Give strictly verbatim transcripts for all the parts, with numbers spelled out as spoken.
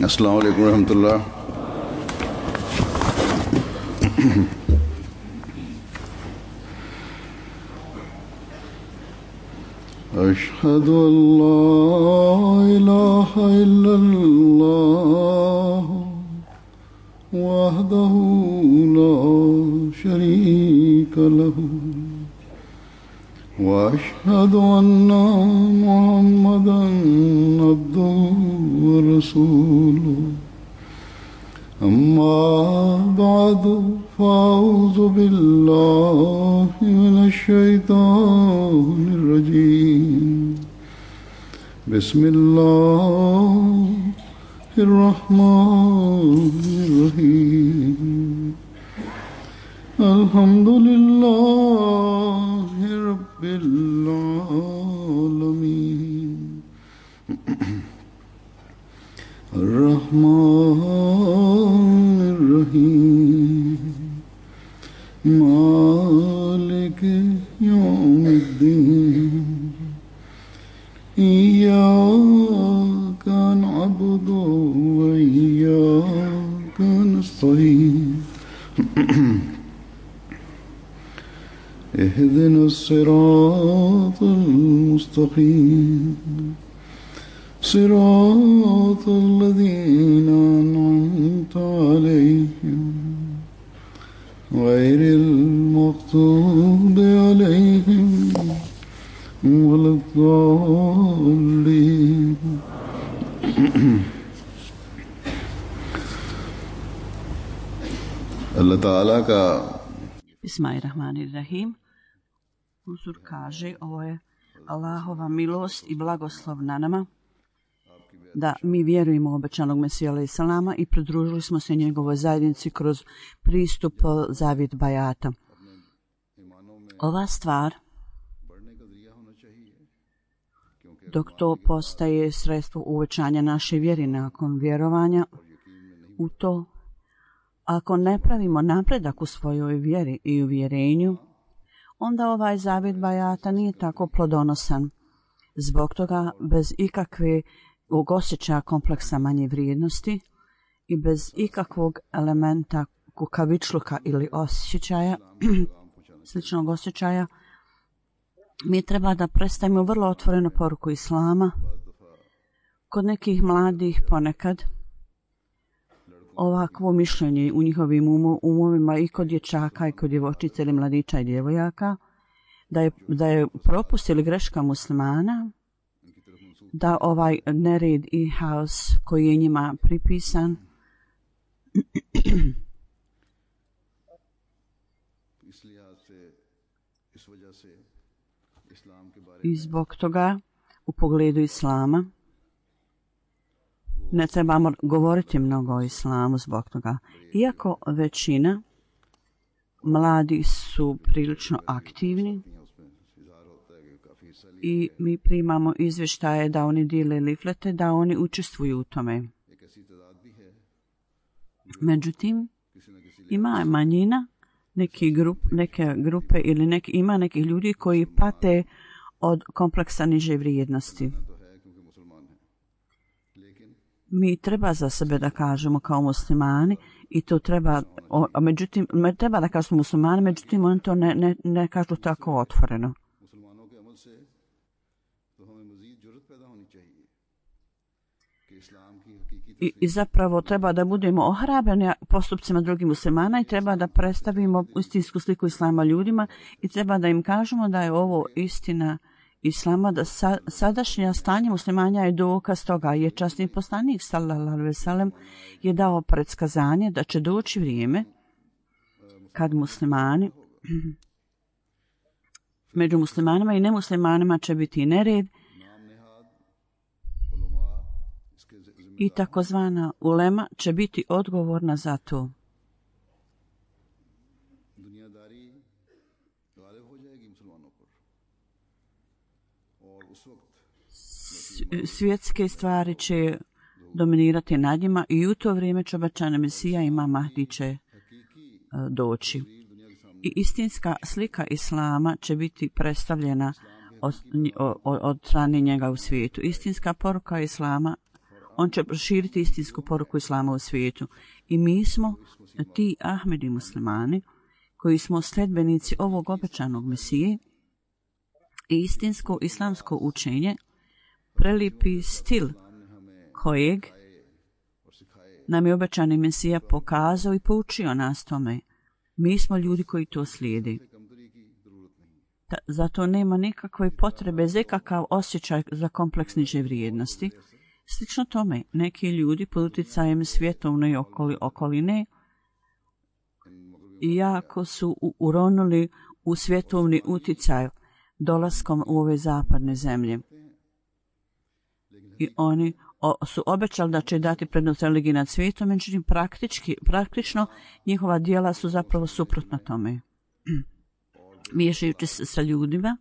अस्सलामु अलैकुम रहमतुल्लाह। अशहदु अल्ला इलाहा इल्लल्लाह वहदहु ला शरीका लहु वअशहदु अन्ना मुहम्मदन अब्दुहु व रसूलुहु अम्मा बअदु फ़अऊज़ु बिल्लाहि मिनश शैतानिर रजीम बिस्मिल्लाहिर रहमानिर रहीम अल्हम्दुलिल्लाहि रब्बिल आलमीन अर्रहमानिर रहीम मालिकि यौमिद्दीन इय्याका नअबुदु व इय्याका नस्तईन इहदिनस सिरातल मुस्तक़ीम सिरातल लज़ीना अनअमता अलैहिम गैरिल मग़ज़ूबि अलैहिम वलद्दाल्लीन। अल्लाह ताला का Bismillahirrahmanirrahim. Uzur kaže, ovo je Allahova milost i blagoslov na nama, da mi vjerujemo u obećanog Mesiju alejhi selama i pridružili smo se njegovoj zajednici kroz pristup zavjet bajata. Ova stvar, dok to postaje sredstvo uvećanja naše vjere nakon vjerovanja u to, ako ne pravimo napredak u svojoj vjeri i uvjerenju, onda ovaj zavjet bajata nije tako plodonosan. Zbog toga, bez ikakve osjećaja kompleksa manje vrijednosti i bez ikakvog elementa kukavičluka ili osjećaja, sličnog osjećaja, mi treba da predstavimo vrlo otvorenu poruku Islama. Kod nekih mladih ponekad ovakvo mišljenje u njihovim umovima i kod dječaka i kod djevojčica ili mladića i djevojaka, da je, da je propust ili greška muslimana, da ovaj nered i haos koji je njima pripisan i zbog toga u pogledu Islama ne trebamo govoriti mnogo o Islamu zbog toga. Iako većina mladi su prilično aktivni i mi primamo izvještaje da oni dijele liflete, da oni učestvuju u tome. Međutim, ima manjina, neki grup, neke grupe ili neki, ima nekih ljudi koji pate od kompleksa niže vrijednosti. Mi treba za sebe da kažemo kao muslimani i to treba, o, međutim, treba da kažemo muslimani, međutim oni to ne, ne, ne kažu tako otvoreno. I, I zapravo treba da budemo ohrabreni postupcima drugih muslimana i treba da predstavimo istinsku sliku Islama ljudima i treba da im kažemo da je ovo istina Islama, da sa, sadašnje stanje muslimanja je dokaz toga, jer časni poslanik sallallahu alejhi ve sellem je dao predskazanje da će doći vrijeme kad muslimani među muslimanima i nemuslimanima će biti nered i takozvana ulema će biti odgovorna za to. Svjetske stvari će dominirati nad njima i u to vrijeme će obećani Mesija Imam Mahdi će doći. I istinska slika Islama će biti predstavljena od, od, od strane njega u svijetu. Istinska poruka Islama, on će proširiti istinsku poruku Islama u svijetu. I mi smo ti Ahmedi muslimani koji smo sledbenici ovog obećanog Mesije i istinsko islamsko učenje, prelipi stil kojeg nam je obećani Mesija pokazao i poučio nas tome. Mi smo ljudi koji to slijede. Ta, zato nema nikakve potrebe za ikakav osjećaj za kompleks niže vrijednosti. Slično tome, neki ljudi pod utjecajem svjetovne okoli, okoline jako su u, uronuli u svjetovni utjecaj dolaskom u ove zapadne zemlje. I oni o, su obećali da će dati prednost religiji nad svijetom, međutim praktički, praktično njihova djela su zapravo suprotna tome. Miješajući se sa ljudima,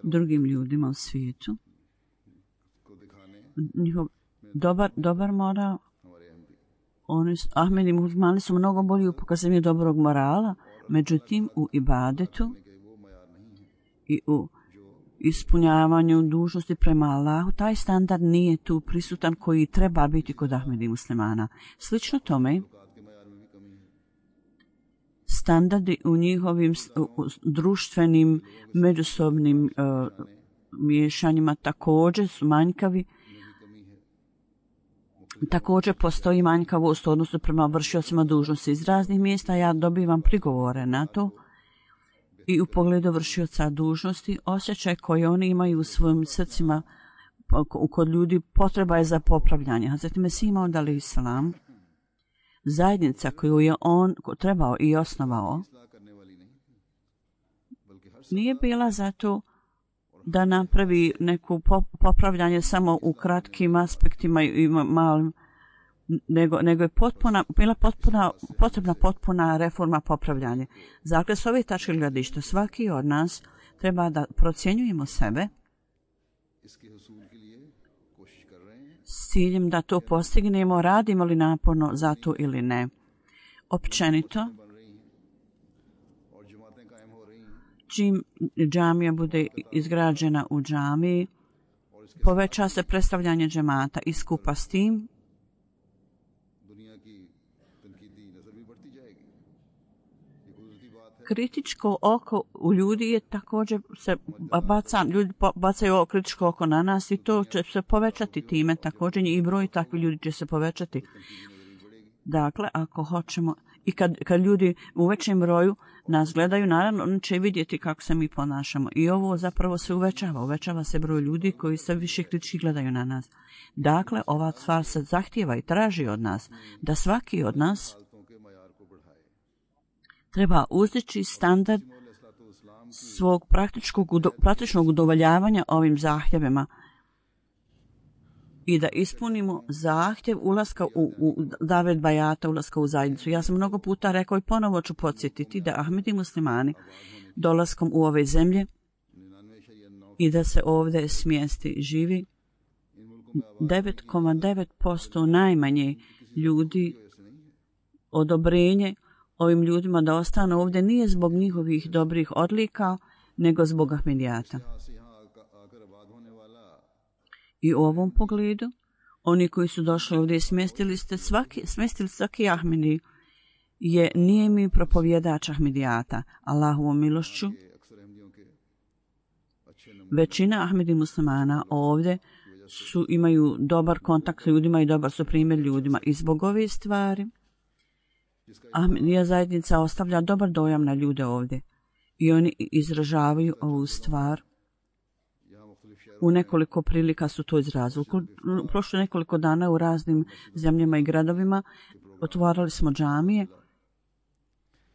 drugim ljudima u svijetu. Njihov dobar, dobar moral, oni su, Ahmedi muslimani su mnogo bolji u pokazivanju dobrog morala, međutim u ibadetu i u ispunjavanju dužnosti prema Allahu, taj standard nije tu prisutan koji treba biti kod Ahmedi muslimana. Slično tome, standardi u njihovim u društvenim međusobnim uh, miješanjima također su manjkavi. Također postoji manjkavost u odnosu prema vršiocima dužnosti. Iz raznih mjesta ja dobivam prigovore na to i u pogledu vršioca dužnosti osjećaj koji oni imaju u svojim srcima kod ljudi potreba je za popravljanje. Hazreti Mesih imao dali islam, zajednica koju je on trebao i osnovao, nije bila zato da napravi neku popravljanje samo u kratkim aspektima i malim, nego, nego je potpuna, bila potpuna, potrebna potpuna reforma popravljanja. Dakle, s ove tačke gledišta svaki od nas treba da procjenjujemo sebe s ciljem da to postignemo, radimo li naporno za to ili ne. Općenito, čim džamija bude izgrađena u džamiji, poveća se predstavljanje džemata i skupa s tim kritičko oko u ljudi je također se baca, ljudi bacaju kritičko oko na nas i to će se povećati time, također i broj takvih ljudi će se povećati. Dakle, ako hoćemo, i kad, kad ljudi u većem broju nas gledaju, naravno oni će vidjeti kako se mi ponašamo. I ovo zapravo se uvećava, uvećava se broj ljudi koji se više kritički gledaju na nas. Dakle, ova stvar se zahtijeva i traži od nas, da svaki od nas treba uzdići standard svog praktičkog, praktičnog udovoljavanja ovim zahtjevima i da ispunimo zahtjev ulaska u, u davet bajata, ulaska u zajednicu. Ja sam mnogo puta rekao i ponovo ću podsjetiti da Ahmedi muslimani dolaskom u ove zemlje i da se ovdje smjesti živi devet zarez devet posto najmanje ljudi odobrenje ovim ljudima da ostanu ovdje nije zbog njihovih dobrih odlika, nego zbog Ahmedijata. I u ovom pogledu, oni koji su došli ovdje i smjestili ste svaki, smjestili svaki Ahmedi, je nije mi propovjedač Ahmedijata, Allahovom milošću. Većina Ahmedi muslimana ovdje su, imaju dobar kontakt s ljudima i dobar su primjer ljudima. I zbog ove stvari, Ahmedija zajednica ostavlja dobar dojam na ljude ovdje i oni izražavaju ovu stvar. U nekoliko prilika su to izrazili. U prošlo nekoliko dana u raznim zemljama i gradovima otvarali smo džamije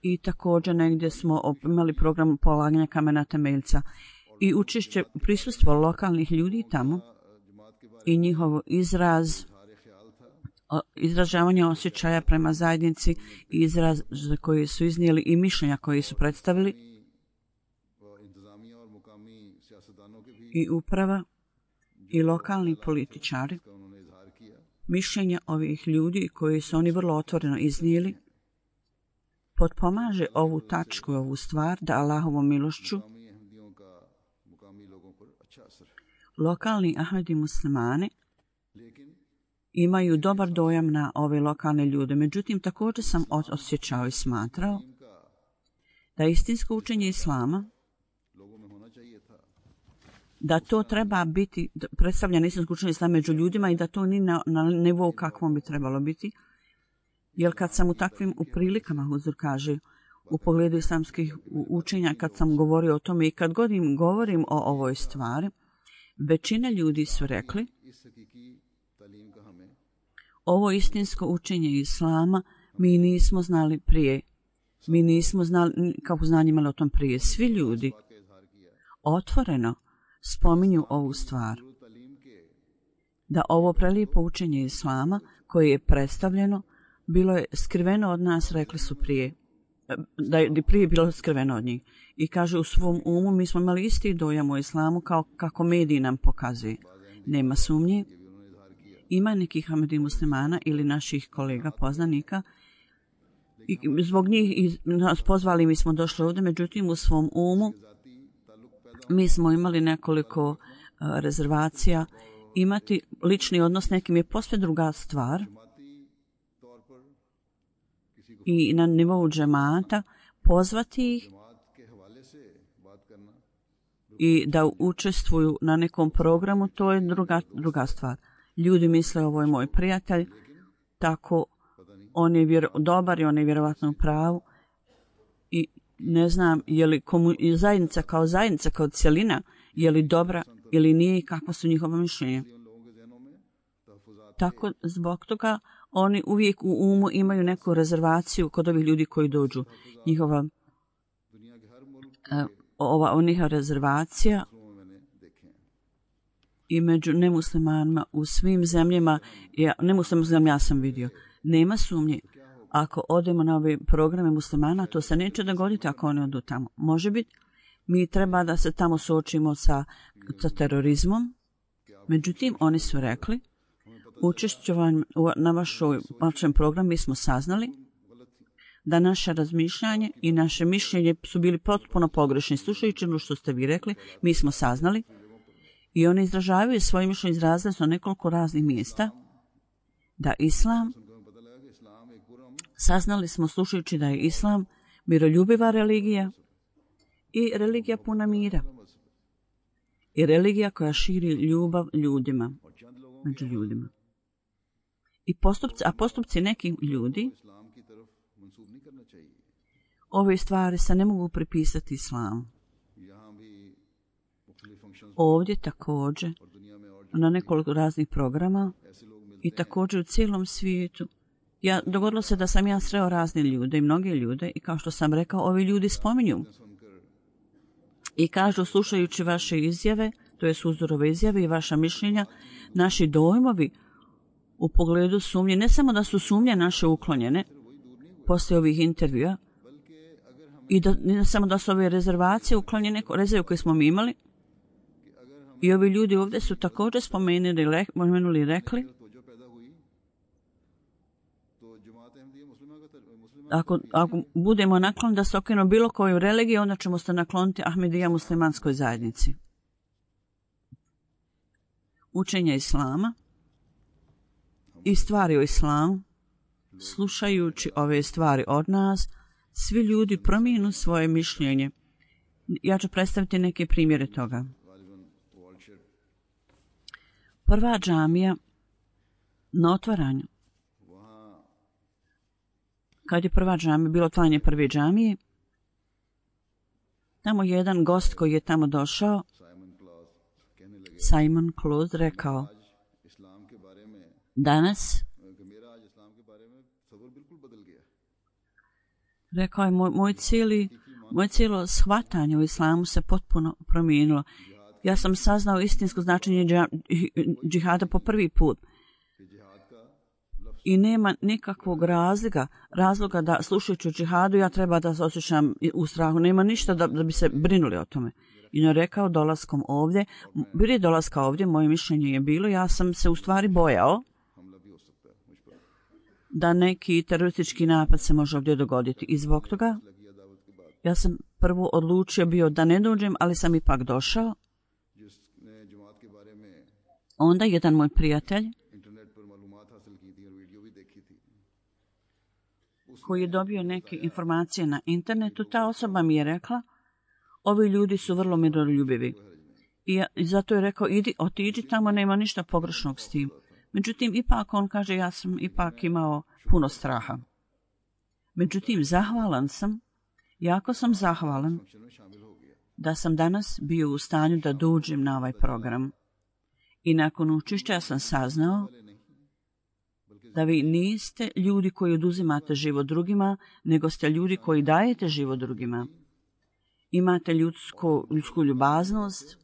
i također negdje smo imali program polaganja kamena temeljca i učešće prisustvo lokalnih ljudi tamo i njihov izraz izražavanje osjećaja prema zajednici i izraz koji su iznijeli i mišljenja koji su predstavili i uprava i lokalni političari, mišljenja ovih ljudi koji su oni vrlo otvoreno iznijeli, potpomaže ovu tačku, ovu stvar da Allahovom milošću lokalni Ahmedi muslimani imaju dobar dojam na ove lokalne ljude. Međutim, također sam osjećao i smatrao da istinsko učenje islama, da to treba biti predstavljeno istinsko učenje islama među ljudima i da to ni na, na nivou kakvom bi trebalo biti. Jer kad sam u takvim u prilikama, Huzur kaže, u pogledu islamskih učenja, kad sam govorio o tome i kad god im govorim o ovoj stvari, većina ljudi su rekli ovo istinsko učenje islama mi nismo znali prije. Mi nismo znali kako znanje imali o tom prije. Svi ljudi otvoreno spominju ovu stvar. Da ovo prelijepo učenje islama koje je predstavljeno bilo je skriveno od nas, rekli su prije. Da je prije bilo skriveno od njih. I kaže u svom umu mi smo imali isti dojam o islamu kao kako mediji nam pokazuje. Nema sumnje. Ima nekih Ahmedi muslimana ili naših kolega poznanika i zbog njih nas pozvali, mi smo došli ovdje, međutim u svom umu mi smo imali nekoliko uh, rezervacija. Imati lični odnos nekim je posve druga stvar i na nivou džemata pozvati ih i da učestvuju na nekom programu, to je druga, druga stvar. Ljudi misle ovo je moj prijatelj, tako on je vjero, dobar i on je vjerovatno u pravu i ne znam je li komu, zajednica kao zajednica, kao cjelina, je li dobra ili nije i kakva su njihova mišljenja. Tako zbog toga oni uvijek u umu imaju neku rezervaciju kod ovih ljudi koji dođu. Njihova uh, ova njihova rezervacija i među nemuslimanima u svim zemljama, ja, nemuslimanima ja sam vidio, nema sumnje. Ako odemo na ove programe muslimana, to se neće dogoditi ako oni odu tamo. Može biti, mi treba da se tamo suočimo sa, sa terorizmom. Međutim, oni su rekli, učešćovanjem na vašoj, vašem programu mi smo saznali da naše razmišljanje i naše mišljenje su bili potpuno pogrešni. Slušajući ono što ste vi rekli, mi smo saznali i oni izražavaju svoje mišljenje, izrazili su na nekoliko raznih mjesta da islam, saznali smo slušajući da je islam miroljubiva religija i religija puna mira i religija koja širi ljubav ljudima, među ljudima. I postupci, a postupci nekih ljudi, ove stvari se ne mogu pripisati islamu. Ovdje također, na nekoliko raznih programa i također u cijelom svijetu, ja, dogodilo se da sam ja sreo razne ljude i mnoge ljude i kao što sam rekao, ovi ljudi spominju i kažu slušajući vaše izjave, to je Huzurove izjave i vaša mišljenja, naši dojmovi u pogledu sumnje, ne samo da su sumnje naše uklonjene poslije ovih intervjua i da, ne samo da su ove rezervacije uklonjene, rezerve koje smo mi imali, i ovi ljudi ovdje su također spomenuli, spomenuli i rekli ako, ako budemo nakloniti da se okrenemo bilo koju religiju, onda ćemo se nakloniti Ahmedija muslimanskoj zajednici. Učenje islama i stvari o islamu, slušajući ove stvari od nas, svi ljudi promijenu svoje mišljenje. Ja ću predstaviti neke primjere toga. Prva džamija na otvaranju. Kad je prva džamija, bilo otvaranje prve džamije, tamo jedan gost koji je tamo došao, Simon Close, rekao, danas, rekao je, moj, moj, cijeli, moj cijelo shvatanje u islamu se potpuno promijenilo. Ja sam saznao istinsko značenje džihada po prvi put. I nema nikakvog razloga, razloga da slušajući o džihadu ja treba da se osjećam u strahu. Nema ništa da, da bi se brinuli o tome. I on je rekao dolaskom ovdje, prije dolaska ovdje, moje mišljenje je bilo, ja sam se u stvari bojao da neki teroristički napad se može ovdje dogoditi. I zbog toga ja sam prvo odlučio bio da ne dođem, ali sam ipak došao. Onda jedan moj prijatelj koji je dobio neke informacije na internetu, ta osoba mi je rekla, ovi ljudi su vrlo miroljubivi. I, ja, i zato je rekao, idi, otiđi tamo, nema ništa pogrešnog s tim. Međutim, ipak on kaže, ja sam ipak imao puno straha. Međutim, zahvalan sam, jako sam zahvalan da sam danas bio u stanju da dođem na ovaj program. I nakon učešća sam saznao da vi niste ljudi koji oduzimate život drugima, nego ste ljudi koji dajete život drugima. Imate ljudsko, ljudsku ljubaznost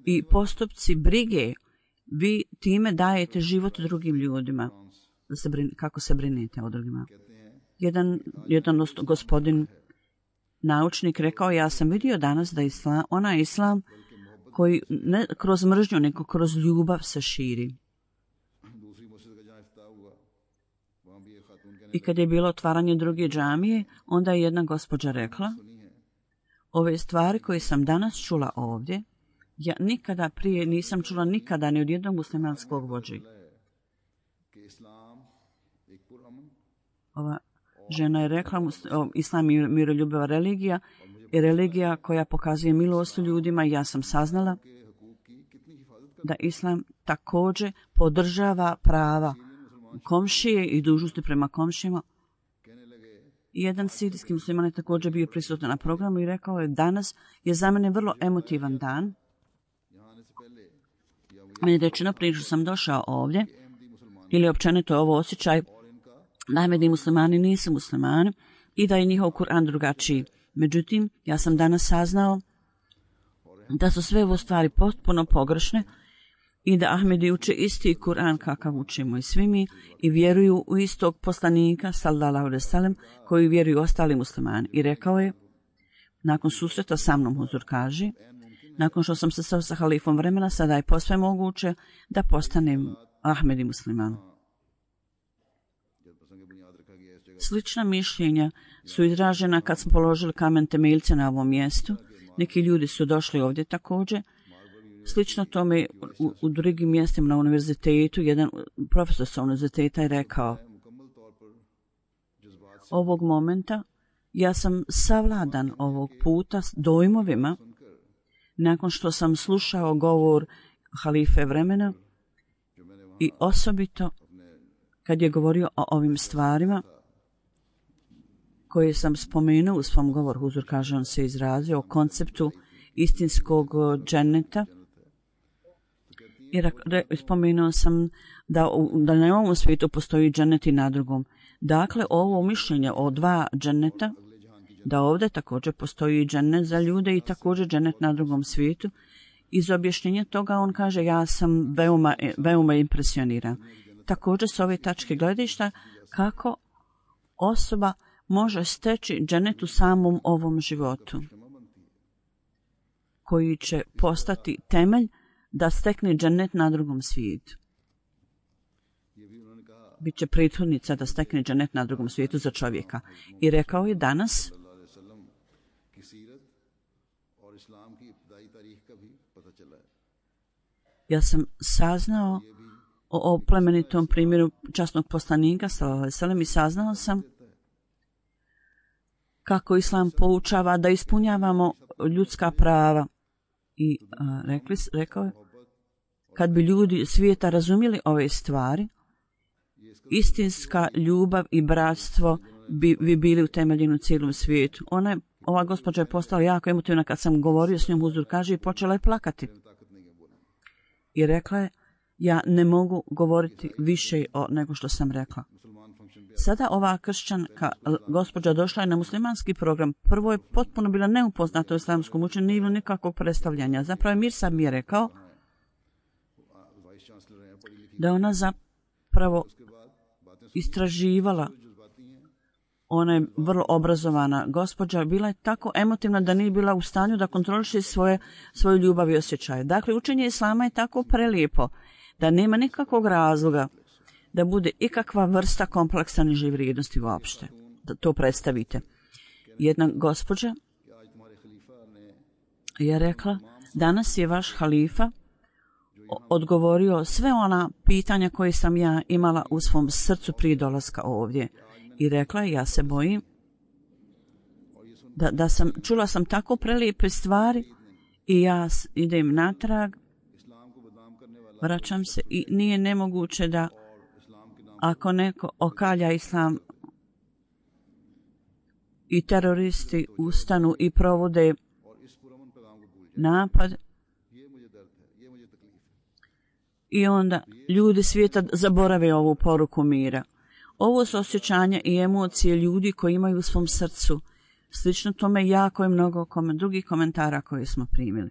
i postupci brige. Vi time dajete život drugim ljudima. Da se brin, kako se brinete o drugima. Jedan, jedan gospodin naučnik rekao, ja sam vidio danas da islam, onaj islam koji ne kroz mržnju, nego kroz ljubav se širi. I kad je bilo otvaranje druge džamije, onda je jedna gospođa rekla, ove stvari koje sam danas čula ovdje, ja nikada prije nisam čula nikada ni od jednog muslimanskog vođi. Ova žena je rekla, islam je miroljubiva religija i religija koja pokazuje milost ljudima. Ja sam saznala da islam također podržava prava komšije i dužnosti prema komšijama. Jedan sirijski musliman je također bio prisutan na programu i rekao je, danas je za mene vrlo emotivan dan. Meni je rečeno prije što sam došao ovdje, ili općenito je ovo osjećaj, da Ahmedi muslimani nisu muslimani i da je njihov Kur'an drugačiji. Međutim, ja sam danas saznao da su sve ovo stvari potpuno pogrešne i da Ahmedi uče isti Kur'an kakav učimo i svi mi i vjeruju u istog poslanika, sallallahu alejhi ve sellem, koji vjeruju ostali muslimani. I rekao je, nakon susreta sa mnom, huzur kaže, nakon što sam se sreo sa halifom vremena, sada je posve moguće da postanem Ahmedi musliman. Slična mišljenja su izražena kad smo položili kamen temeljce na ovom mjestu. Neki ljudi su došli ovdje također. Slično tome u, u drugim mjestima na univerzitetu, jedan profesor sa univerziteta je rekao, ovog momenta ja sam savladan ovog puta s dojmovima nakon što sam slušao govor halife vremena i osobito kad je govorio o ovim stvarima koje sam spomenuo u svom govoru. Huzur kaže, on se izrazio o konceptu istinskog dženeta. I spomenuo sam da, da na ovom svijetu postoji dženet i na drugom. Dakle, ovo mišljenje o dva dženeta, da ovdje također postoji dženet za ljude i također dženet na drugom svijetu. Iz objašnjenja toga on kaže, ja sam veoma, veoma impresioniran. Također s ove tačke gledišta kako osoba može steći dženet u samom ovom životu, koji će postati temelj da stekne dženet na drugom svijetu. Biće prethodnica da stekne dženet na drugom svijetu za čovjeka. I rekao je danas, ja sam saznao o, o plemenitom primjeru časnog poslanika, sallallahu alejhi ve sellem, i saznao sam kako islam poučava da ispunjavamo ljudska prava. I a, rekli, rekao je, kad bi ljudi svijeta razumjeli ove stvari, istinska ljubav i bratstvo bi, bi bili utemeljeni u cijelom svijetu. Ona je, ova gospođa je postala jako emotivna kad sam govorio s njom, huzur kaže, i počela je plakati. I rekla je, ja ne mogu govoriti više o nego što sam rekla. Sada ova kršćanka gospođa došla je na muslimanski program. Prvo je potpuno bila neupoznata u islamskom učenju, nije bilo nikakvog predstavljanja. Zapravo je Mir mi je rekao da ona zapravo istraživala. Ona je vrlo obrazovana gospođa, bila je tako emotivna da nije bila u stanju da kontroliše svoje, svoju ljubav i osjećaje. Dakle, učenje islama je tako prelijepo da nema nikakvog razloga da bude ikakva vrsta kompleksa niže vrijednosti uopšte. Da to predstavite. Jedna gospođa je rekla, danas je vaš halifa odgovorio sve ona pitanja koje sam ja imala u svom srcu prije dolaska ovdje. I rekla, ja se bojim da, da sam, čula sam tako prelijepe stvari i ja idem natrag, vraćam se i nije nemoguće da ako neko okalja islam i teroristi ustanu i provode napad i onda ljudi svijeta zaborave ovu poruku mira. Ovo su osjećanja i emocije ljudi koji imaju u svom srcu. Slično tome jako je mnogo komen, drugih komentara koje smo primili.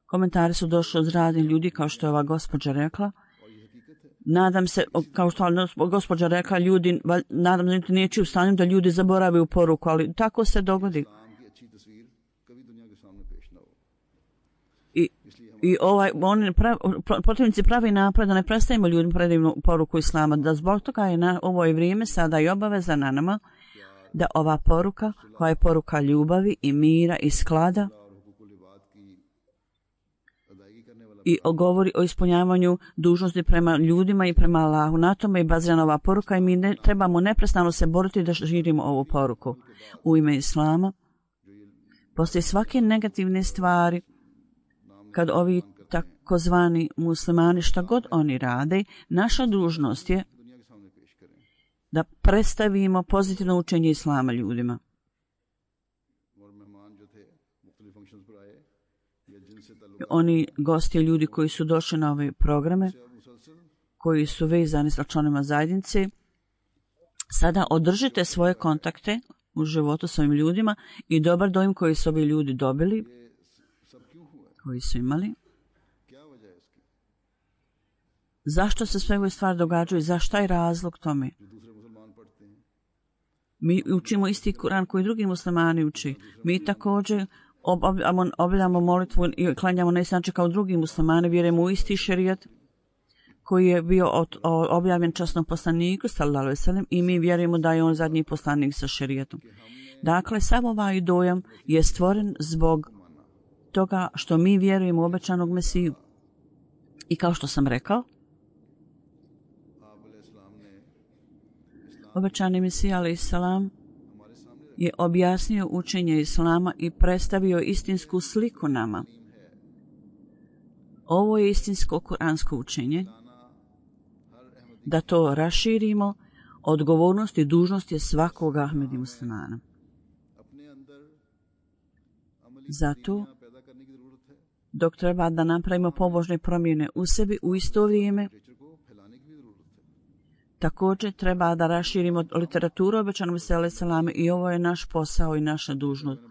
Komentari su došli od raznih ljudi, kao što je ova gospođa rekla. Nadam se, kao što je gospođa rekla, ljudi, nadam se da neće u stanju da ljudi zaborave u poruku, ali tako se dogodi. I, i ovaj, oni prav, protivnici pravi napad da ne predstavimo ljudima predivnu poruku islama, da zbog toga je na ovo je vrijeme sada i obaveza na nama da ova poruka, koja je poruka ljubavi i mira i sklada, i govori o ispunjavanju dužnosti prema ljudima i prema Allahu. Na tome je bazirana ova poruka i mi ne, trebamo neprestano se boriti da širimo ovu poruku. U ime Islama, poslije svake negativne stvari, kad ovi takozvani muslimani, šta god oni rade, naša dužnost je da predstavimo pozitivno učenje Islama ljudima. Oni gosti, ljudi koji su došli na ove programe, koji su vezani sa članovima zajednice, sada održite svoje kontakte u životu s ovim ljudima i dobar dojam koji su ovi ljudi dobili, koji su imali. Zašto se sve ove stvari događaju? Zašto je razlog tome? Mi učimo isti Kuran koji drugi muslimani uči. Mi također obavljamo molitvu i klanjamo na isti način kao drugi muslimani, vjerujemo u isti šerijat koji je bio od, o, objavljen časnom poslaniku sallallahu alejhi ve sellem i mi vjerujemo da je on zadnji poslanik sa šerijatom. Dakle, sav ovaj dojam je stvoren zbog toga što mi vjerujemo u obećanog Mesiju. I kao što sam rekao, obećani Mesija alejhi selam je objasnio učenje Islama i predstavio istinsku sliku nama. Ovo je istinsko kuransko učenje. Da to raširimo, odgovornost i dužnost je svakog Ahmedi muslimana. Zato, dok treba da napravimo pobožne promjene u sebi, u isto vrijeme, također treba da raširimo literaturu obećanog Mesija alejhi selam i ovo je naš posao i naša dužnost.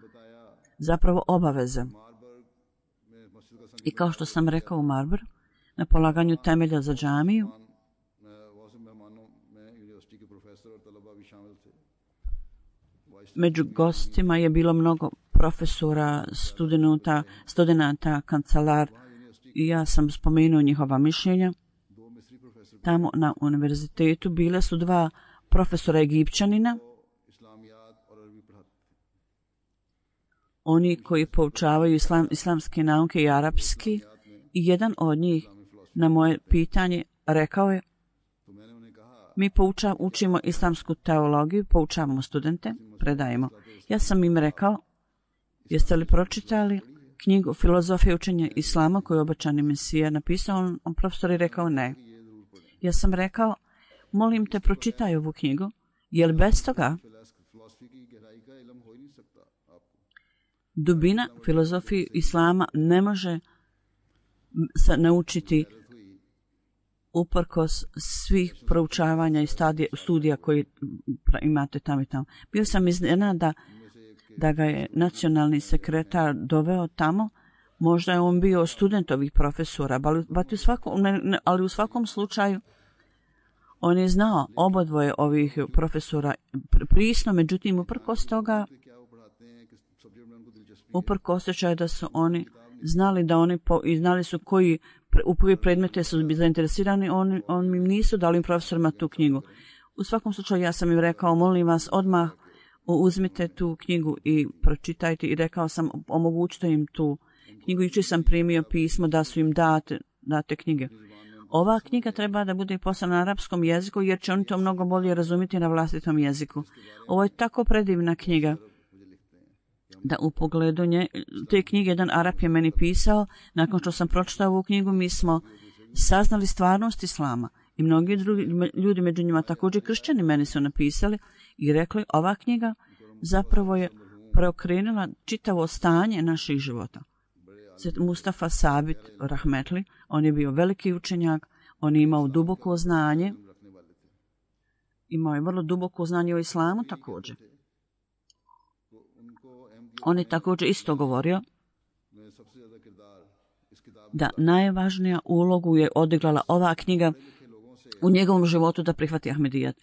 Zapravo obaveza. I kao što sam rekao u Marber, na polaganju temelja za džamiju, među gostima je bilo mnogo profesora, studenata, studenata, kancelar i ja sam spomenuo njihova mišljenja. Tamo na univerzitetu bile su dva profesora Egipćanina, oni koji poučavaju islam, islamske nauke i arapski, i jedan od njih na moje pitanje rekao je: mi poučav, učimo islamsku teologiju, poučavamo studente, predajemo. Ja sam im rekao: jeste li pročitali knjigu Filozofije učenja islama koju je obećani Mesija napisao? On, on profesor je rekao ne. Ja sam rekao: molim te, pročitaj ovu knjigu, jer bez toga dubina filozofije islama ne može se naučiti uprkos svih proučavanja i stadija, studija koji imate tamo i tamo. Bio sam iznenađen da, da ga je nacionalni sekretar doveo tamo. Možda je on bio student ovih profesora, ali, u svakom, ne, ali u svakom slučaju on je znao obodvoje ovih profesora prisno, međutim uprkos toga, uprkos osjećaju da su oni znali da oni po, i znali su koji u koji predmete su zainteresirani, oni, oni im nisu dali profesorima tu knjigu. U svakom slučaju ja sam im rekao: molim vas, odmah uzmite tu knjigu i pročitajte, i rekao sam omogućite im tu knjigu. Jučer sam primio pismo da su im date, date knjige. Ova knjiga treba da bude poslana na arapskom jeziku, jer će oni to mnogo bolje razumjeti na vlastitom jeziku. Ovo je tako predivna knjiga da u pogledu nje, te knjige jedan Arap je meni pisao. Nakon što sam pročitao ovu knjigu, mi smo saznali stvarnost Islama. I mnogi drugi ljudi, među njima također kršćani, meni su napisali i rekli ova knjiga zapravo je preokrenula čitavo stanje naših života. Mustafa Sabit Rahmetli, on je bio veliki učenjak, on je imao duboko znanje, imao je vrlo duboko znanje o islamu također. On je također isto govorio da najvažnija ulogu je odigrala ova knjiga u njegovom životu da prihvati Ahmedijat.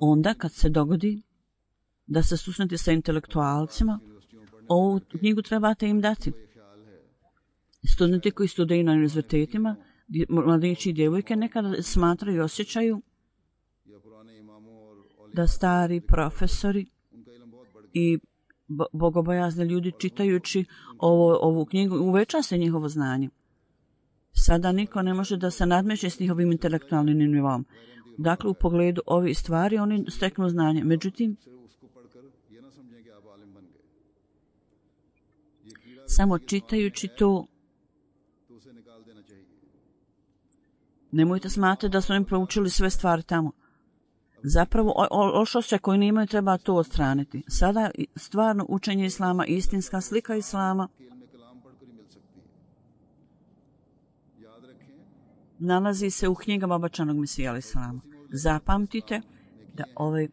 Onda kad se dogodi da se susreti sa intelektualcima, ovu knjigu trebate im dati. Studenti koji studiraju na univerzitetima, mladići i djevojke nekada smatraju i osjećaju da stari profesori i bogobojazni ljudi čitajući ovo, ovu knjigu uveća se njihovo znanje. Sada niko ne može da se nadmeće s njihovim intelektualnim nivom. Dakle, u pogledu ovih stvari oni steknu znanje. Međutim, samo čitajući to, nemojte smatrati da su oni proučili sve stvari tamo. Zapravo, loš osjećaj koji nemaju treba to odstraniti. Sada stvarno učenje islama, istinska slika islama, nalazi se u knjigama obećanog Mesija alejhi selam. Zapamtite da ove,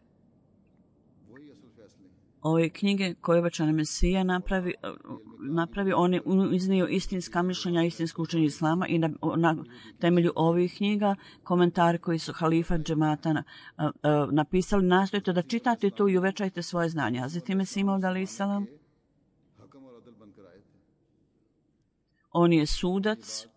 ove knjige koje obećani Mesija napravi, napravi, on je iznio istinska mišljenja, istinsko učenje islama i na, na temelju ovih knjiga, komentari koji su halifa džemata na, a, a, napisali, nastojite da čitate to i uvećajte svoje znanje. Hazreti Mesih Maud alejhi selam, on je sudac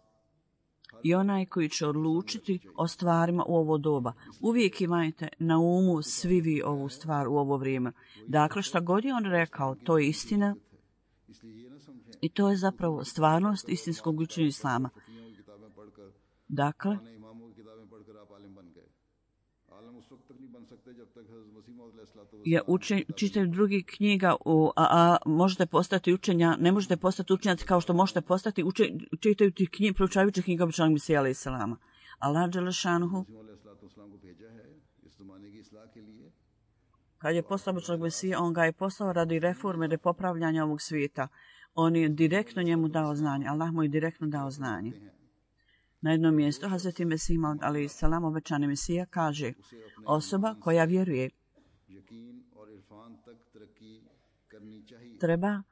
i onaj koji će odlučiti o stvarima u ovo doba. Uvijek imajte na umu svi vi ovu stvar u ovo vrijeme. Dakle, šta god je on rekao, to je istina i to je zapravo stvarnost istinskog učenja islama. Dakle, je učen, čitaju drugi knjiga, u, a, a možete postati učenja, ne možete postati učenjaci kao što možete postati, učen, čitaju ti knjige, proučavajući knjiga obećanog Mesija alejhi selama. Allah dželle šanuhu, kad je poslao obećanog Mesija, on ga je poslao radi reforme, radi popravljanja ovog svijeta. On je direktno njemu dao znanje. Allah mu je direktno dao znanje. Na jednom mjestu Hazreti Mesih Maud alejhi selam, obećani Mesija, kaže: osoba koja vjeruje treba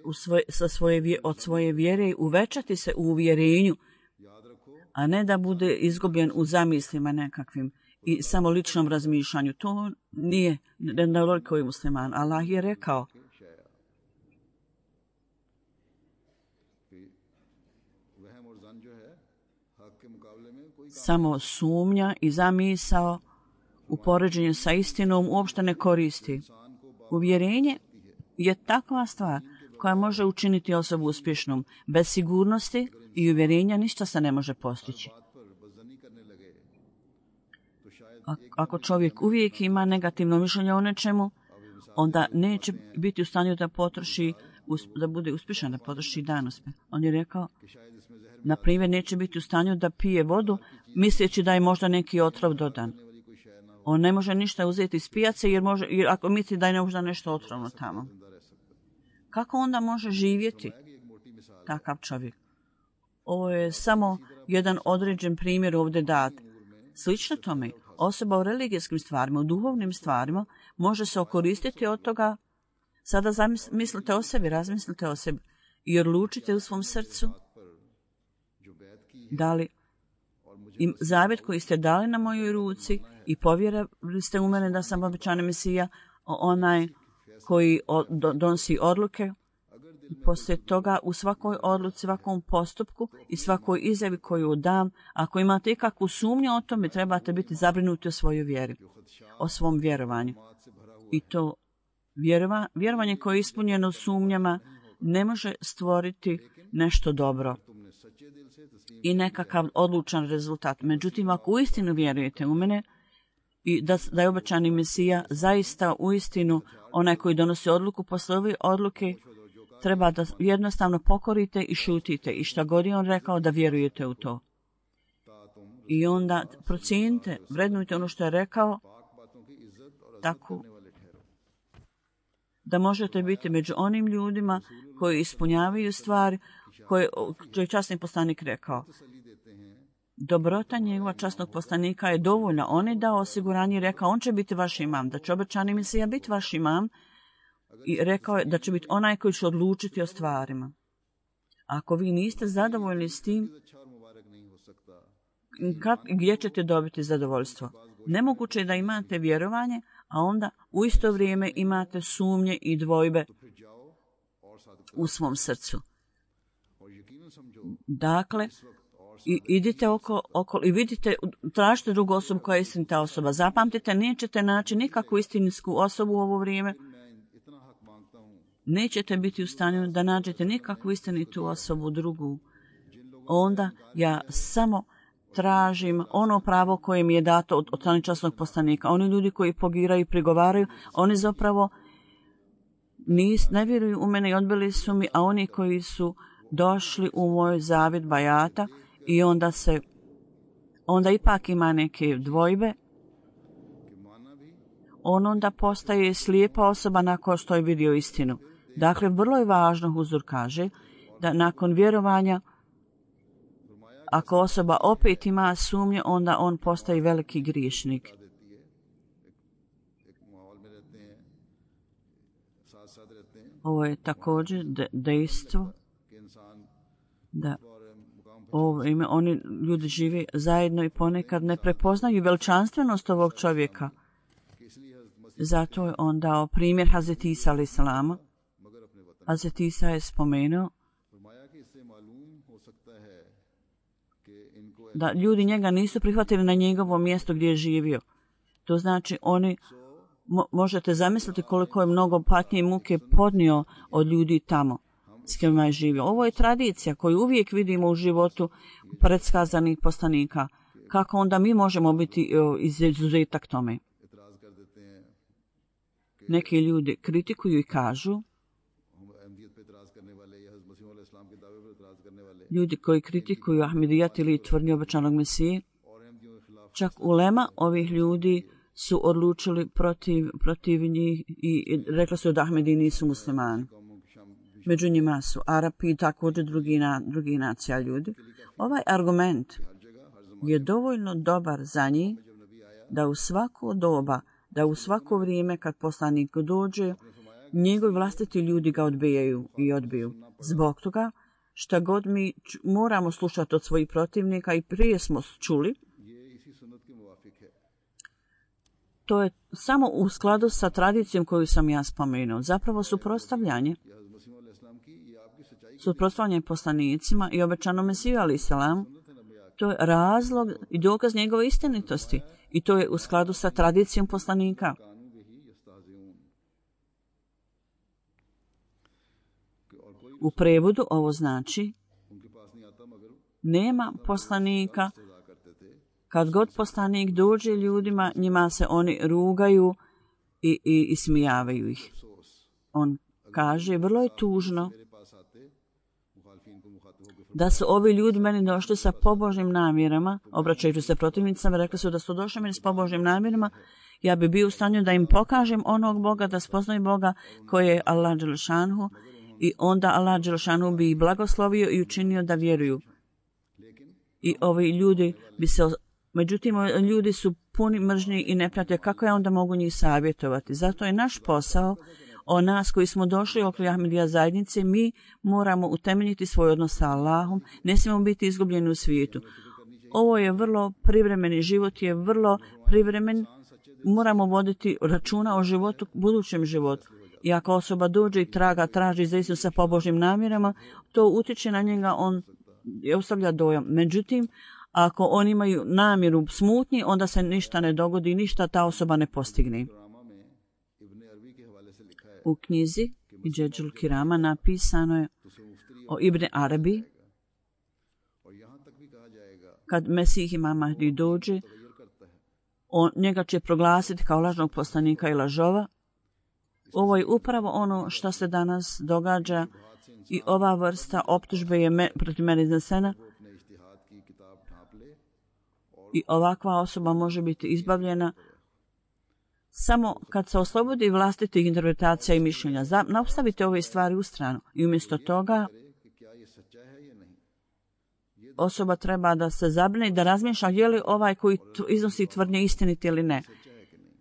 u svoj, sa svoje, od svoje vjere uvećati se u uvjerenju, a ne da bude izgubljen u zamislima nekakvim i samo ličnom razmišljanju. To nije nedovoljko je musliman. Allah je rekao: samo sumnja i zamisao u poređenju sa istinom uopšte ne koristi. Uvjerenje je takva stvar koja može učiniti osobu uspješnom. Bez sigurnosti i uvjerenja ništa se ne može postići. Ako čovjek uvijek ima negativno mišljenje o nečemu, onda neće biti u stanju da potroši, da bude uspješan, da potroši danospe. On je rekao, na primjer, neće biti u stanju da pije vodu, misleći da je možda neki otrov dodan. On ne može ništa uzeti iz pijace, jer, može, jer ako misli da je možda nešto otrovno tamo. Kako onda može živjeti takav čovjek? Ovo je samo jedan određen primjer ovdje dat. Slično tome, osoba u religijskim stvarima, u duhovnim stvarima, može se okoristiti od toga. Sada zamislite o sebi, razmislite o sebi i odlučite u svom srcu da li im zavjet koji ste dali na mojoj ruci i povjerili ste u mene da sam obećani Mesija, onaj koji donosi odluke. Poslije toga u svakoj odluci, svakom postupku i svakoj izjavi koju dam, ako imate ikakvu sumnju o tome, trebate biti zabrinuti o svojoj vjeri, o svom vjerovanju. I to vjerova, vjerovanje koje je ispunjeno sumnjama ne može stvoriti nešto dobro i nekakav odlučan rezultat. Međutim, ako uistinu vjerujete u mene i da, da je obećani Mesija zaista uistinu onaj koji donosi odluku, posle ove odluke treba da jednostavno pokorite i šutite i šta god je on rekao da vjerujete u to. I onda procijenite, vrednujte ono što je rekao, tako da možete biti među onim ljudima koji ispunjavaju stvari koje je časni poslanik rekao. Dobrota njegova časnog poslanika je dovoljna. On je dao osiguranje i rekao, on će biti vaš imam, da će obećani Mesija biti vaš imam i rekao je da će biti onaj koji će odlučiti o stvarima. Ako vi niste zadovoljni s tim, kak, gdje ćete dobiti zadovoljstvo? Nemoguće je da imate vjerovanje, a onda u isto vrijeme imate sumnje i dvojbe u svom srcu. Dakle, i idite oko, oko i vidite, tražite drugu osobu koja je istinita osoba. Zapamtite, nećete naći nikakvu istinsku osobu u ovo vrijeme. Nećete biti u stanju da nađete nikakvu istinitu osobu drugu. Onda ja samo tražim ono pravo koje mi je dato od, od strane časnog poslanika. Oni ljudi koji pogiraju i prigovaraju, oni zapravo nis, ne vjeruju u mene i odbili su mi, a oni koji su došli u moj zavjet bajata i onda se, onda ipak ima neke dvojbe, on onda postaje slijepa osoba nakon što je vidio istinu. Dakle, vrlo je važno, Huzur kaže, da nakon vjerovanja, ako osoba opet ima sumnje, onda on postaje veliki griješnik. Ovo je također de- dejstvo da ovo ime, oni ljudi žive zajedno i ponekad ne prepoznaju veličanstvenost ovog čovjeka. Zato je on dao primjer Hazreti Isa alaih salama. Hazreti Isa je spomenuo da ljudi njega nisu prihvatili na njegovo mjesto gdje je živio. To znači oni, mo, možete zamisliti koliko je mnogo patnje i muke podnio od ljudi tamo s kojima je živio. Ovo je tradicija koju uvijek vidimo u životu predskazanih poslanika. Kako onda mi možemo biti izuzetak tome? Neki ljudi kritikuju i kažu, ljudi koji kritikuju Ahmedijat ili tvrdnju obećanog Mesije, čak ulema ovih ljudi su odlučili protiv, protiv njih i rekli su da Ahmedi nisu muslimani. Među njima su Arapi i također drugi, na, drugi nacija ljudi. Ovaj argument je dovoljno dobar za njih da u svako doba, da u svako vrijeme kad poslanik dođe, njegovi vlastiti ljudi ga odbijaju i odbiju. Zbog toga šta god mi moramo slušati od svojih protivnika i prije smo čuli, to je samo u skladu sa tradicijom koju sam ja spomenuo. Zapravo suprotstavljanje, suprotstavljanje poslanicima i obećanom Mesiju alaih salam, to je razlog i dokaz njegove istinitosti i to je u skladu sa tradicijom poslanika. U prevodu ovo znači nema poslanika, kad god poslanik dođe ljudima, njima se oni rugaju i, i, i smijavaju ih. On kaže, vrlo je tužno da su ovi ljudi meni došli sa pobožnim namjerama, obraćajući se protivnicama, rekli su da su došli meni s pobožnim namjerama, ja bi bio u stanju da im pokažem onog Boga, da spoznaju Boga koji je Allah dželešanhu, i onda Allah dželešanhu bi ih blagoslovio i učinio da vjeruju. I ovi ljudi bi se, međutim, ljudi su puni mržnje i nepravde, kako ja onda mogu njih savjetovati? Zato je naš posao, o nas koji smo došli oko Ahmedija zajednice, mi moramo utemeljiti svoj odnos sa Allahom, ne smijemo biti izgubljeni u svijetu. Ovo je vrlo privremeni život, je vrlo privremen, moramo voditi računa o životu, budućem životu. I ako osoba dođe i traga, traži za istinu sa pobožnim namjerama, to utječe na njega, on ostavlja dojam. Međutim, ako oni imaju namjeru smutnji, onda se ništa ne dogodi, ništa ta osoba ne postigne. U knjizi Džedžul Kirama napisano je o Ibn Arabi, kad Mesih Imam Mahdi dođe, on, njega će proglasiti kao lažnog poslanika i lažova. Ovo je upravo ono što se danas događa i ova vrsta optužbe je me, protiv mene iznesena. I ovakva osoba može biti izbavljena samo kad se oslobodi vlastitih interpretacija i mišljenja. Nastavite ove stvari u stranu i umjesto toga osoba treba da se zabrine i da razmišlja je li ovaj koji iznosi tvrdnje istinit ili ne.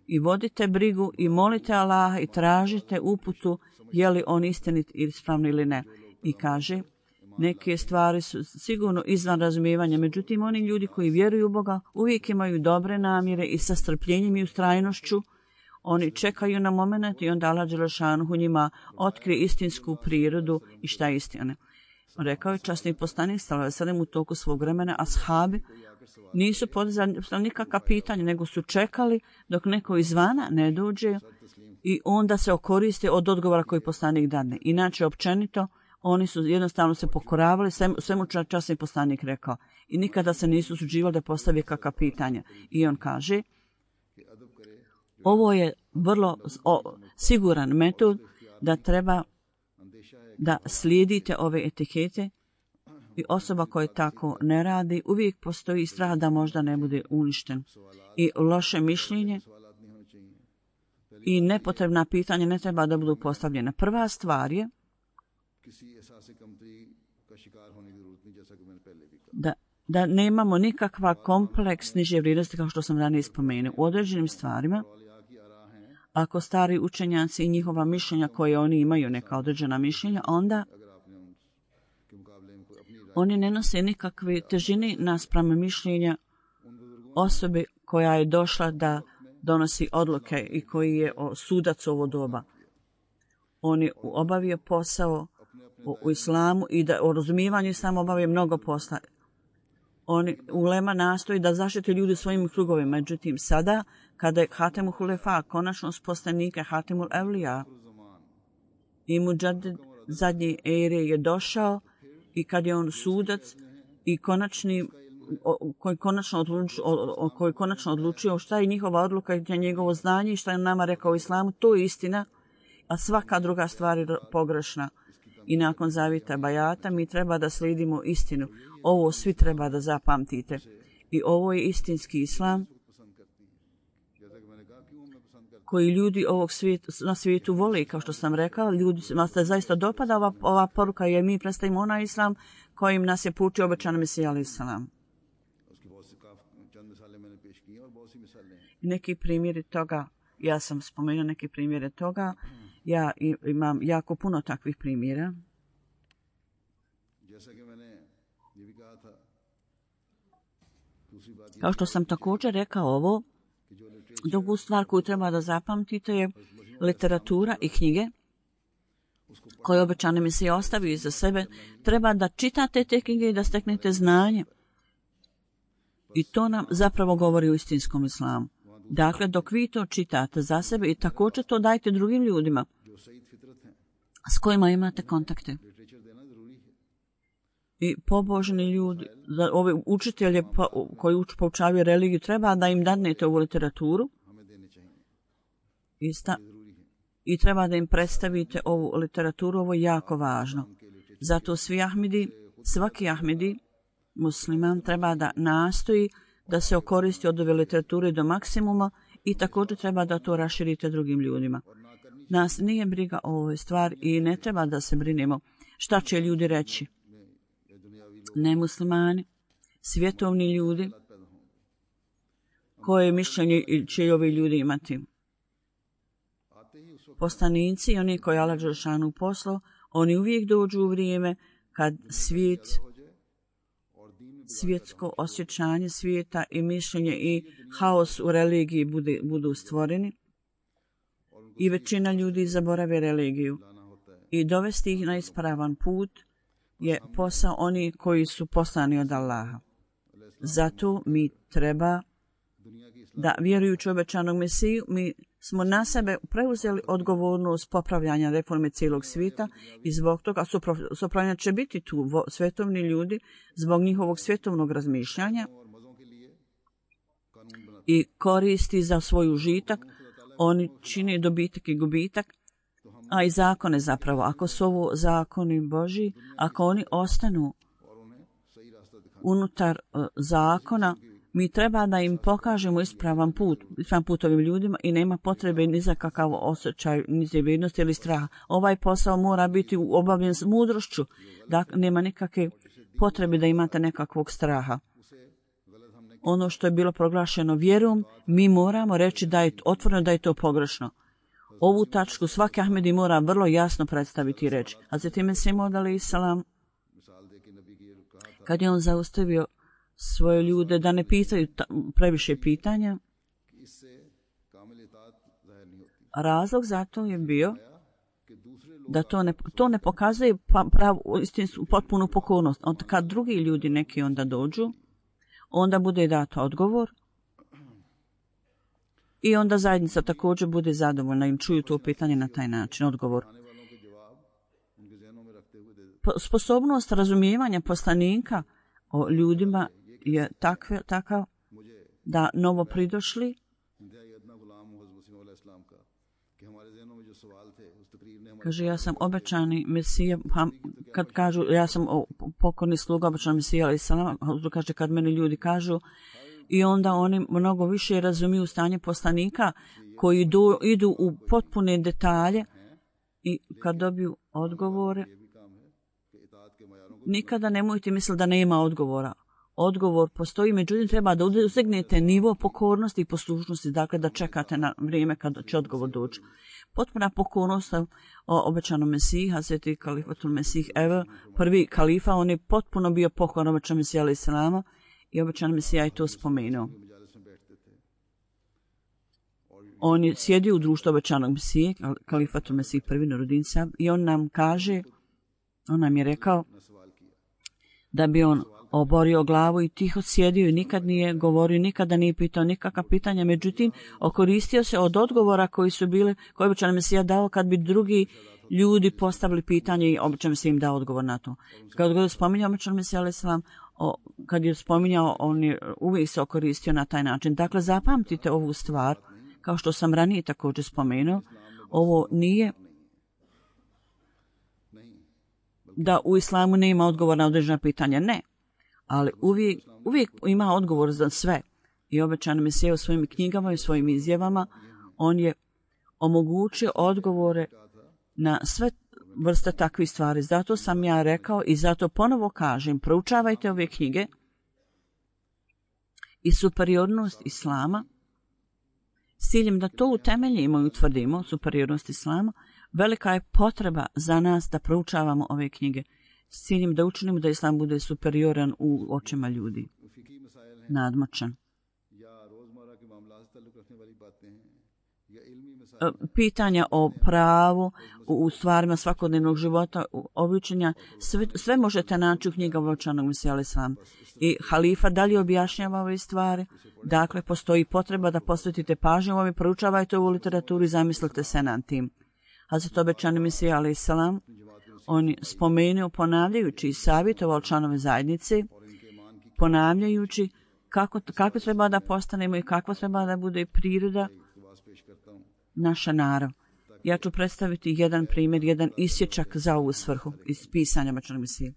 I vodite brigu i molite Allaha i tražite uputu je li on istinit ili ispravni ili ne. I kaže, neke stvari su sigurno izvan razumijevanja, međutim oni ljudi koji vjeruju u Boga uvijek imaju dobre namjere i sa strpljenjem i ustrajnošću oni čekaju na moment i onda Allah dželešanuhu njima otkrije istinsku prirodu i šta je istina. Rekao je časni poslanik sallallahu alejhi ve sellem u toku svog vremena, ashabi nisu podizali nikakva pitanja, nego su čekali dok neko izvana ne dođe i onda se okoriste od odgovora koji poslanik dadne. Inače, općenito, oni su jednostavno se pokoravali, svemu časni poslanik rekao. I nikada se nisu suđivali da postavi kakva pitanja. I on kaže, ovo je vrlo o, siguran metod da treba da slijedite ove etikete i osoba koja tako ne radi, uvijek postoji strah da možda ne bude uništen. I loše mišljenje i nepotrebna pitanja ne treba da budu postavljena. Prva stvar je da, da nemamo nikakva kompleks niže vrijednosti kao što sam ranije spomenuo. U određenim stvarima, ako stari učenjaci i njihova mišljenja koje oni imaju, neka određena mišljenja, onda oni ne nose nikakve težine naspram mišljenja osobe koja je došla da donosi odluke i koji je sudac ovo doba. On je obavio posao u, u islamu i da o razumijevanju islama obavio mnogo posla. Oni ulema nastoji da zaštiti ljudi svojim krugovima. Međutim, sada, kada je Hatemul Hulefa, konačno poslanika Hatemul Evlija i Muđadid zadnje ere je došao i kad je on sudac i konačni o, koji, konačno odlučio, o, o, koji konačno odlučio šta je njihova odluka i njegovo znanje i šta je nama rekao u islamu, to je istina, a svaka druga stvar je pogrešna. I nakon zavita bajata mi treba da slijedimo istinu. Ovo svi treba da zapamtite. I ovo je istinski islam koji ljudi ovog svijeta, na svijetu vole, kao što sam rekao, ljudi se zaista dopada ova, ova poruka jer mi predstavimo onaj islam kojim nas je poučio obećani Mesija alejhi selam. Neki primjeri toga, ja sam spomenuo neki primjere toga, ja imam jako puno takvih primjera. Kao što sam također rekao ovo, drugu stvar koju treba da zapamtite je literatura i knjige koje obećani Mesija ostavi iza sebe. Treba da čitate te knjige i da steknete znanje. I to nam zapravo govori o istinskom islamu. Dakle, dok vi to čitate za sebe i također to dajte drugim ljudima s kojima imate kontakte. I pobožni ljudi, ove učitelje koji uč, poučavaju religiju, treba da im dadnete ovu literaturu i, sta, i treba da im predstavite ovu literaturu, ovo je jako važno. Zato svi Ahmedi, svaki Ahmedi, musliman, treba da nastoji da se okoristi od ove literature do maksimuma i također treba da to raširite drugim ljudima. Nas nije briga o ovoj stvari i ne treba da se brinemo šta će ljudi reći. Nemuslimani, svjetovni ljudi, koje mišljenje će ovi ljudi imati. Poslanici i oni koji Allah dželešanu poslao, oni uvijek dođu u vrijeme kad svijet, svjetsko osjećanje svijeta i mišljenje i haos u religiji bude, budu stvoreni i većina ljudi zaborave religiju i dovesti ih na ispravan put je posao oni koji su poslani od Allaha. Zato mi treba da vjerujući obećanog Mesiju, mi smo na sebe preuzeli odgovornost popravljanja reforme cijelog svijeta i zbog toga popravljanja će biti tu svjetovni ljudi zbog njihovog svjetovnog razmišljanja i koristi za svoj užitak. Oni čine dobitak i gubitak, a i zakone zapravo. Ako su ovo zakoni Božji, ako oni ostanu unutar uh, zakona, mi treba da im pokažemo ispravan put, ispravan put ovim ljudima i nema potrebe ni za kakav osjećaj, ni nevidnosti ili straha. Ovaj posao mora biti obavljen s mudrošću, da nema nikakve potrebe da imate nekakvog straha. Ono što je bilo proglašeno vjerom, mi moramo reći da je otvoreno da je to pogrešno. Ovu tačku svaki Ahmedi mora vrlo jasno predstaviti i reći. A zatim je Simod alejhi selam, kad je on zaustavio svoje ljude da ne pitaju ta, previše pitanja, razlog za to je bio da to ne, to ne pokazuje pravu, istinsku, potpunu pokornost. Onda kad drugi ljudi neki onda dođu, onda bude dato odgovor i onda zajednica također bude zadovoljna im čuju to pitanje na taj način, odgovor. Sposobnost razumijevanja poslanika o ljudima je takve, takav da novo pridošli kaže ja sam obećani Mesija, kad kažu ja sam pokorni sluga obećani Mesija alejhi selam, kaže kad meni ljudi kažu i onda oni mnogo više razumiju stanje poslanika koji do, idu u potpune detalje i kad dobiju odgovore nikada nemojte misliti da nema odgovora. Odgovor postoji, međutim treba da ustignete nivo pokornosti i poslušnosti, dakle da čekate na vrijeme kada će odgovor doći. Potpuna pokornost o obećanom Mesiji, Hazreti Kalifatul Mesih, evo, prvi kalifa, on je potpuno bio pokoran obećanom Mesija alejhi selama i obećan Mesija je to spomenuo. On je sjedio u društvu obećanog Mesije, Kalifatul Mesih prvi narodinca, i on nam kaže, on nam je rekao da bi on oborio glavu i tiho sjedio i nikad nije govorio, nikada nije pitao nikakva pitanja, međutim, okoristio se od odgovora koji su bile, koje je obećan Mesija dao kad bi drugi ljudi postavili pitanje i obećan Mesija im dao odgovor na to. Kad je spominjao obećan Mesija alejhi selam, kad je spominjao, on je uvijek se okoristio na taj način. Dakle, zapamtite ovu stvar, kao što sam ranije također spomenuo, ovo nije da u islamu nema odgovor na određena pitanja, ne. Ali uvijek, uvijek ima odgovor za sve. I obećan Mesija u svojim knjigama i svojim izjavama, on je omogućio odgovore na sve vrste takvih stvari. Zato sam ja rekao i zato ponovo kažem, proučavajte ove knjige i superiornost islama, s ciljem da to utemeljimo i utvrdimo, superiornost islama, velika je potreba za nas da proučavamo ove knjige s ciljem da učinimo da islam bude superioran u očima ljudi, nadmoćan. Pitanja o pravu, u stvarima svakodnevnog života, običenja, sve, sve možete naći u knjigama obećanog Mesija alejhi selam. I halifa dalje objašnjava ove stvari. Dakle, postoji potreba da posvetite pažnju ovome, proučavajte ovu literaturu i zamislite se nad tim. Hazret obećani Mesija alejhi selam, on je spomenuo ponavljajući i savjetovao članove zajednice, ponavljajući kako, kako treba da postanemo i kako treba da bude priroda naša narav. Ja ću predstaviti jedan primjer, jedan isječak za ovu svrhu iz pisanja obećanog Mesije.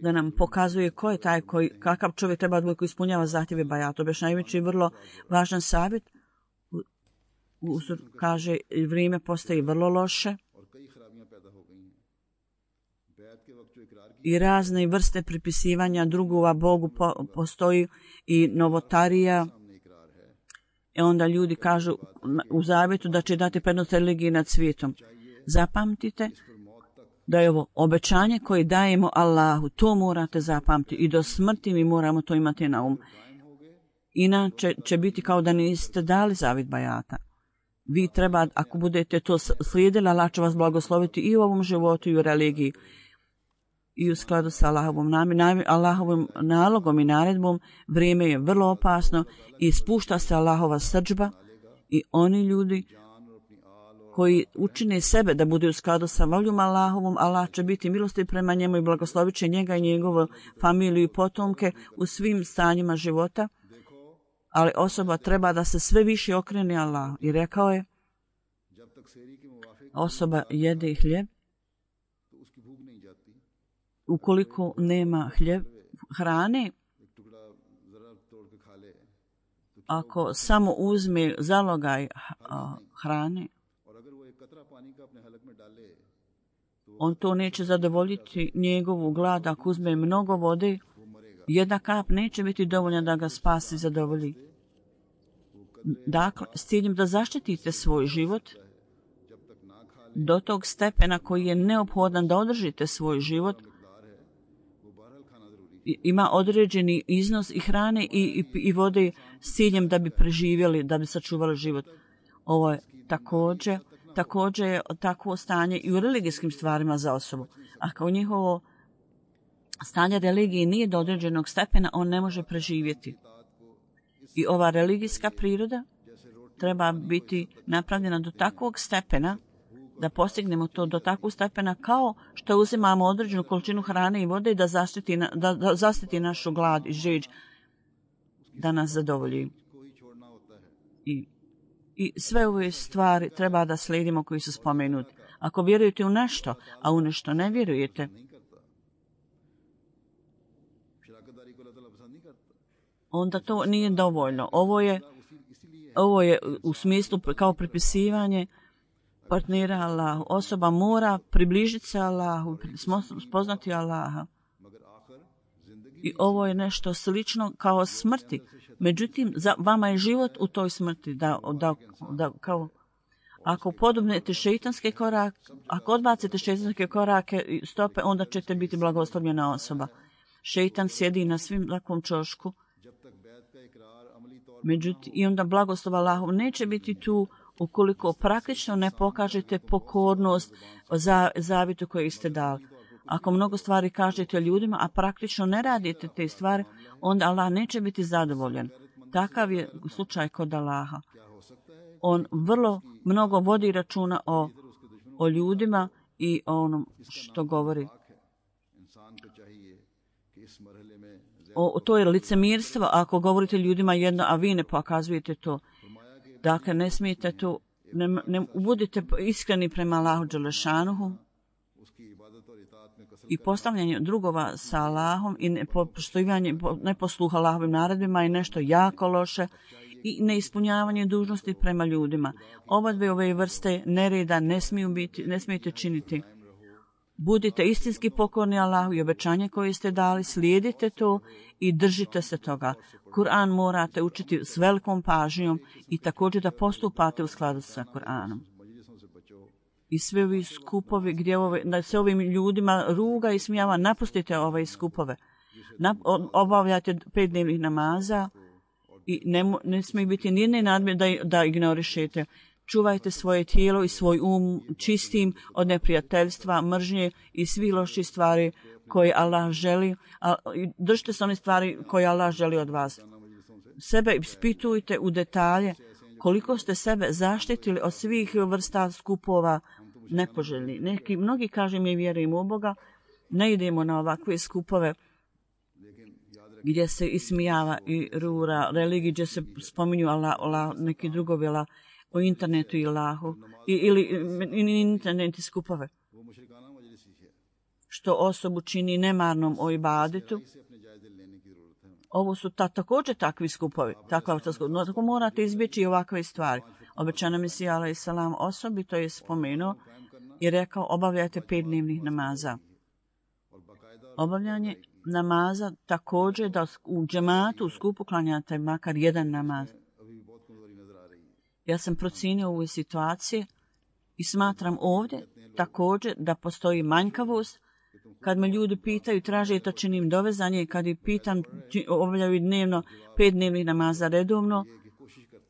Da nam pokazuje ko je taj, koji, kakav čovjek treba da bude koji ispunjava zahtjeve bajata. Objašnjavajući vrlo važan savjet, uzor kaže vrijeme postaje vrlo loše i razne vrste pripisivanja drugova Bogu po, postoji i novotarija. I onda ljudi kažu u zavjetu da će dati prednost religiji nad svijetom. Zapamtite da je ovo obećanje koje dajemo Allahu. To morate zapamtiti i do smrti mi moramo to imati na um. Inače će biti kao da niste dali zavjet bajata. Vi treba, ako budete to slijedili, Allah će vas blagosloviti i u ovom životu i u religiji. i u skladu sa Allahovom, nami, Allahovim nalogom i naredbom. Vrijeme je vrlo opasno i spušta se Allahova srdžba i oni ljudi koji učine sebe da bude u skladu sa voljom Allahovom, Allah će biti milosti prema njemu i blagoslovit će njega i njegovu familiju i potomke u svim stanjima života. Ali osoba treba da se sve više okrene Allahu. I rekao je, osoba jede hljeb, ukoliko nema hljeb, hrane, ako samo uzme zalogaj hrane, on to neće zadovoljiti njegovu glad. Ako uzme mnogo vode, jedna kap neće biti dovoljna da ga spasi i zadovolji. Dakle, s ciljem da zaštitite svoj život do tog stepena koji je neophodan da održite svoj život, ima određeni iznos i hrane i, i, i vode s ciljem da bi preživjeli, da bi sačuvali život. Ovo je također, također je takvo stanje i u religijskim stvarima za osobu. A kao njihovo stanje religije nije do određenog stepena, on ne može preživjeti. I ova religijska priroda treba biti napravljena do takvog stepena da postignemo to do takvog stepena kao što uzimamo određenu količinu hrane i vode da zaštiti, da, da zaštiti našu glad i žeđ, da nas zadovolji. I, I sve ove stvari treba da slijedimo koji su spomenuti. Ako vjerujete u nešto, a u nešto ne vjerujete, onda to nije dovoljno. Ovo je, ovo je u smislu kao pripisivanje partnera Allahu. Osoba mora približiti se Allahu, spoznati Allaha. I ovo je nešto slično kao smrti. Međutim, za vama je život u toj smrti. Da, da, da, kao, ako podobnete šeitanske korake, ako odbacite šeitanske korake i stope, onda ćete biti blagoslovljena osoba. Šeitan sjedi na svim takvom čošku. Međutim, i onda blagoslov Allahov neće biti tu ukoliko praktično ne pokažete pokornost za zavjetu koju ste dali. Ako mnogo stvari kažete ljudima, a praktično ne radite te stvari, onda Allah neće biti zadovoljan. Takav je slučaj kod Allaha. On vrlo mnogo vodi računa o, o ljudima i o onom što govori. O, to je licemirstvo ako govorite ljudima jedno, a vi ne pokazujete to. Dakle, ne smijete tu, ne, ne budite iskreni prema Allahu Đelešanuhu i postavljanje drugova sa Allahom i nepoštovanje, neposluha Allahovim naredbima je nešto jako loše i neispunjavanje dužnosti prema ljudima. Oba dve ove vrste nereda ne smiju biti, ne smijete činiti. Budite istinski pokorni Allahu i obećanje koje ste dali, slijedite to i držite se toga. Kur'an morate učiti s velikom pažnjom i također da postupate u skladu sa Kur'anom. I sve ovi skupovi gdje ove, da se ovim ljudima ruga i smijava, napustite ove skupove. Nap, obavljate pet dnevnih namaza i ne, ne smije biti nijedne nadmje da, da ignorišete. Čuvajte svoje tijelo i svoj um čistim od neprijateljstva, mržnje i svih loših stvari koje Allah želi. A, držite se one stvari koje Allah želi od vas. Sebe ispitujte u detalje koliko ste sebe zaštitili od svih vrsta skupova nepoželjni. Neki, mnogi kaže mi vjerujemo u Boga, ne idemo na ovakve skupove gdje se ismijava i rura religiji, gdje se spominju Allah, Allah neki drugovi Allah, o internetu i Allahu, i, ili i interneti skupove, što osobu čini nemarnom o ibadetu. Ovo su ta, također takvi skupovi. Takva, no, tako morate izbjeći ovakve stvari. Obećana Mesija alejhi selam osobito je spomenuo i rekao obavljajte pet dnevnih namaza. Obavljanje namaza također da u džematu u skupu klanjate makar jedan namaz. Ja sam procijenio ovu situaciju i smatram ovdje također da postoji manjkavost. Kad me ljudi pitaju, traže to činim dovezanje, kad ih pitam, obavljaju dnevno pet dnevnih namaza redovno,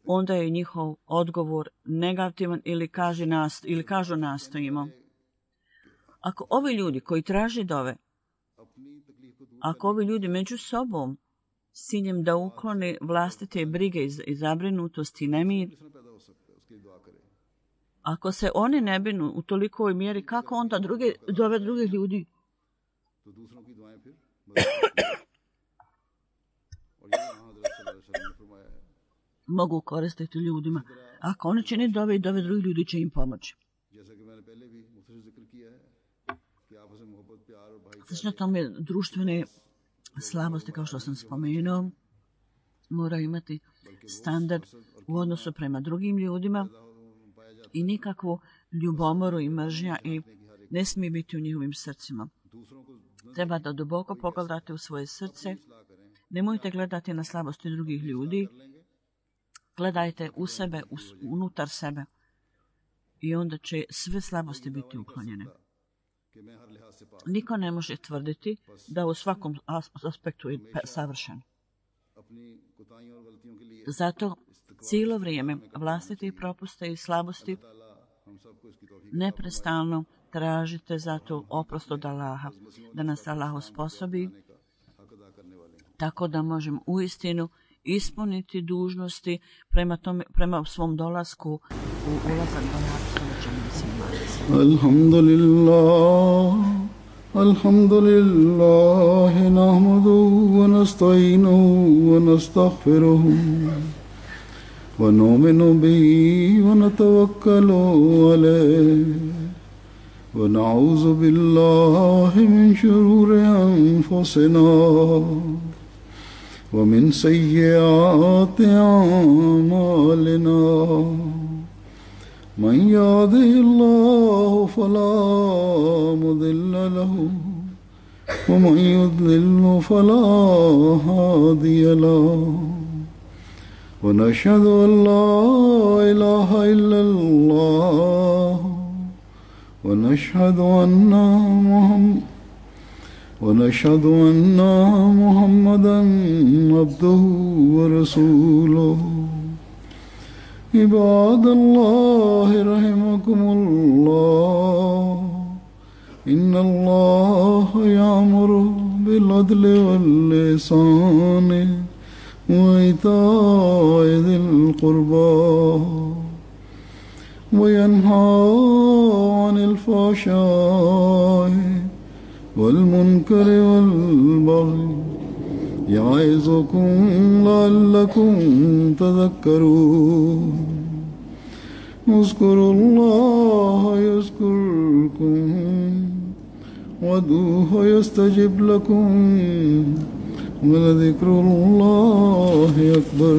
onda je njihov odgovor negativan ili, kaže nast, ili kažu nastojimo. Ako ovi ljudi koji traže dove Ako ovi ljudi među sobom s ciljem da uklone vlastite brige i zabrinutosti i nemir, ako se oni ne binu u tolikoj mjeri, kako onda druge, dove drugih ljudi? Mogu koristiti ljudima. Ako oni čini dove i dove drugih ljudi će im pomoći. Slično tome društvene slabosti, kao što sam spomenuo, moraju imati standard u odnosu prema drugim ljudima i nikakvu ljubomoru i mržnja i ne smije biti u njihovim srcima. Treba da duboko pogledate u svoje srce. Nemojte gledati na slabosti drugih ljudi. Gledajte u sebe, unutar sebe. I onda će sve slabosti biti uklonjene. Niko ne može tvrditi da u svakom aspektu je savršen. Zato cijelo vrijeme vlastite propuste i slabosti neprestano tražite zato oprost od Allaha, da nas Allah osposobi tako da možemo uistinu ispuniti dužnosti prema, tome, prema svom dolasku u ulazak do Allaha. Alhamdulillah, alhamdulillah, nahmaduhu wa nasta'inuhu wa nastaghfiruhu wa nu'minu bihi wa natawakkalu alayhi wa na'udhu billahi min shururi anfusina ومن سيئات أعمالنا من يهده الله فلا مضل له ومن يضلل فلا هادي له ونشهد أن لا إله إلا الله ونشهد أن محمد ونشهد أن محمدًا عبده ورسوله عباد الله رحمكم الله إن الله يأمر بالعدل والإحسان وإيتاء ذي القربى وينهى عن الفحشاء والمنكر والبغي يعظكم لعلكم تذكرون اذكروا الله يذكركم وادعوه يستجب لكم ولذكر الله أكبر.